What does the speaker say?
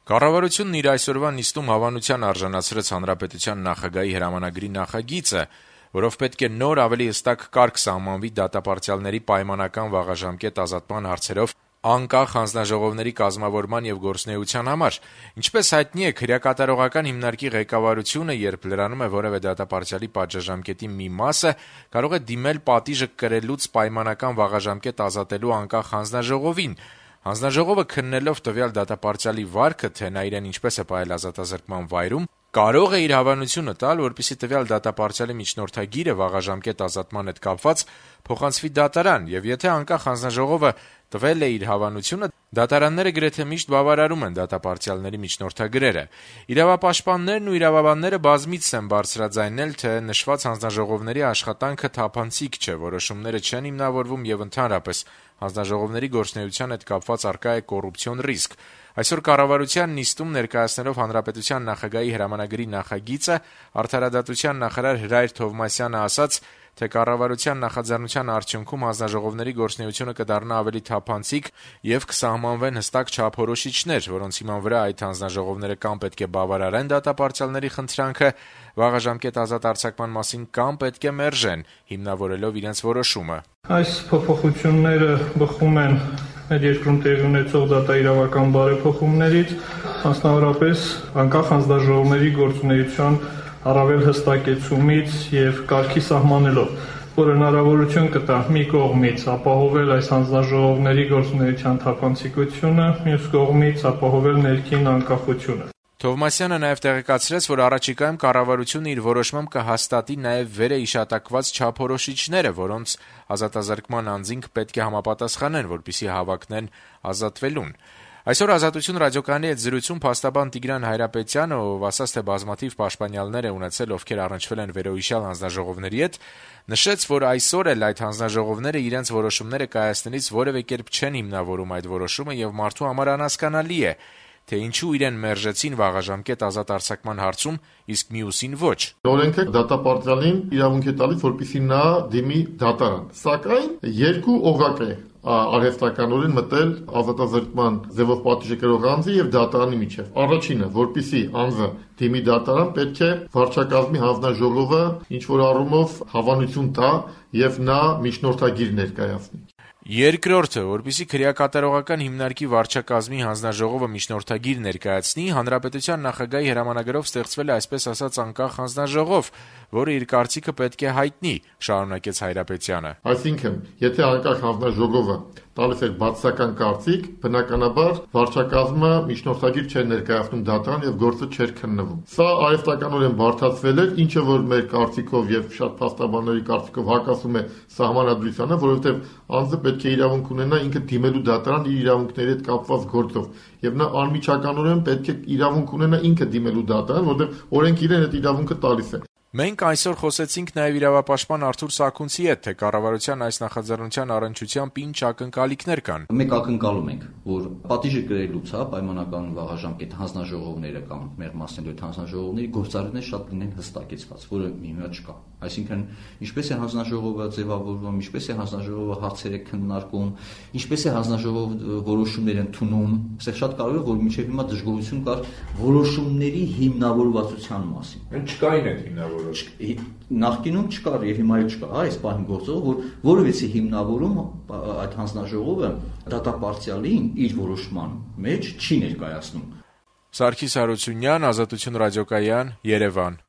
Կառավարությունն իր այսօրվա նիստում հավանության արժանացրեց Հանրապետության նախագահի հրամանագրի նախագիծը, որով պետք է նոր ավելի հստակ կարգ սահմանվի դատապարտյալների պայմանական վաղաժամկետ ազատման հարցերով անկախ հանձնաժողովների կազմավորման եւ գործունեության համար։ Ինչպես հայտնի է, քրեակատարողական հիմնարկի ղեկավարությունը, երբ լրանում է որևէ դատապարտյալի պատժամկետի մի մասը, կարող է դիմել պատիժը կրելուց պայմանական վաղաժամկետ ազատելու անկախ հանձնաժողովին։ Հանձնաժողովը քննելով տվյալ դատապարտյալի վարքը, թե նա իրեն ինչպես է պահել ազատազրկման վայրում, կարող է իր հավանությունը տալ, որպեսզի տվյալ դատապարտյալի միջնորդագիրը վաղաժամկետ ազատման հետ կապված փոխանցվի դատարան, եւ եթե անկախ հանձնաժողովը տվել է իր հավանությունը, դատարանները գրեթե միշտ բավարարում են դատապարտյալների միջնորդագրերը։ Իրավապաշտպաններն ու իրավաբանները բազմիցս են բարձրաձայնել, թե նշված հանձնաժողովների աշխատանքը թափանցիկ չէ, որոշումները չեն հիմնավորվում եւ ընդհանրապես հանձնաժողովների գործունեության հետ կապված առկա է կոռուպցիոն ռիսկ։ Այսօր կառավարության նիստում ներկայացնելով Հանրապետության նախագահի հրամանագրի նախագիծը, Արդարադատության նախարար Հրայր Թովմասյանը ասաց, թե կառավարության նախաձեռնության արդյունքում հանձնաժողովների գործունեությունը կդառնա ավելի թափանցիկ եւ կսահմանվեն հստակ չափորոշիչներ, որոնց հիման վրա այդ հանձնաժողովները կամ պետք է բավարարեն դատապարտյալների խնդրանքը վաղաժամկետ ազատ արձակման մասին, կամ պետք է մերժեն, հիմնավորելով իրենց որոշումը։ Այս փոփոխությունները բխում են մեր երկրում տեղի ունեցող դատաիրավական բարեփոխումներից, մասնավորապես անկախ հանձնաժողովների գործունեության առավել հստակեցումից եւ կարգի սահմանելով, որ հնարավորություն կտա մի կողմից ապահովել այս հանձնաժողովների գործունեության թափանցիկությունը, մյուս կողմից ապահովել ներքին անկախությունը։ Թովմասյանը նաև տեղեկացրեց, որ առաջիկայում կառավարությունը իր որոշմամբ կհաստատի նաև վերը իշատակված չափորոշիչները, որոնց ազատազրկման անձինք պետք է համապատասխանեն, որպեսզի հավակնեն ազատվելուն։ Այսօր «Ազատություն» ռադիոկայանի հետ զրույցում փաստաբան Տիգրան Հայրապետյանը, ով ասաց, թե բազմաթիվ պաշտպանյալներ է ունեցել, ովքեր առնչվել են վերոհիշյալ հանձնաժողովների հետ, նշեց, որ այսօր էլ այդ հանձնաժողովները իրենց որոշումները կայացնելիս որևէ կերպ չեն հիմնավորում այդ որոշումը եւ մարդու համար անհասկանալի է, թե ինչու իրեն մերժեցին վաղաժամկետ ազատ արձակման հարցում, իսկ մյուսին ոչ։ Օրենքը դատապարտյալին իրավունք է տալիս, որպեսզի նա դիմի դատարան։ Սակայն երկու օղակ է արհեստականորեն մտել ազատազրկման ձևով պատիժը կրող անձի եւ դատարանի միջեւ։ Առաջինը, որպեսզի անձը դիմի դատարան, պետք է վարչակազմի հանձնաժողովը ինչ որ առումով հավանություն տա եւ նա միջնորդագիր ներկայացնի։ Երկրորդը, որպեսզի քրեակատարողական հիմնարկի վարչակազմի հանձնաժողովը միջնորդագիր ներկայացնի, Հանրապետության նախագահի հրամանագրով ստեղծվել է այսպես ասած անկախ հանձնաժողով, որը իր կարծիքը պետք է հայտնի, շարունակեց Հայրապետյանը։ Այսինքն, եթե անկախ հանձնաժողովը տալիս է բացասական կարծիք, բնականաբար վարչակազմը միջնորդագիր չէր ներկայացնում դատարան եւ գործը չէր քննվում։ Սա արհեստականորեն բարդացվել էր, ինչը որ մեր կարծիքով եւ շատ փաստաբանների կարծիքով հակասում է սահմանադրությանը, որովհետեւ անձը պետք է իրավունք ունենա ինքը դիմելու դատարան իր իրավունքների հետ կապված գործով եւ նա անմիջականորեն պետք է իրավունք ունենա ինքը դիմելու դատարան, որովհետեւ օրենքը իրեն այդ իրավունքը տալիս է։ Մենք այսօր խոսեցինք նաև իրավապաշտպան Արթուր Սաքունցի հետ, թե կառավարության այս նախաձեռնության առնչությամբ ինչ ակնկալիքներ կան։ Մենք ակնկալում ենք, որ պատիժը կրելուց, պայմանական վաղաժամկետ հանձնաժողովները կամ մեղմացնելու այդ հանձնաժողովների գործառույթները շատ լինեն հստակեցված, որը հիմա չկա։ Այսինքն, ինչպես է հանձնաժողովը ձևավորվում, ինչպես է հանձնաժողովը հարցերը քննարկում, ինչպես է հանձնաժողովը որոշումներ ընդունում, այստեղ շատ կարևոր է, որ մինչև հիմա դժգոհություն կար որոշումների հիմնավորվածության մասին։ Չկային այդ հիմնավոր Նախկինում չկար եւ հիմա էլ չկա, այս պահին գործող, որ որևէ հիմնավորում այդ հանձնաժողովը դատապարտյալին իր որոշման մեջ չի ներկայացնում։ Սարգիս Հարությունյան, Ազատություն ռադիոկայան, Երևան։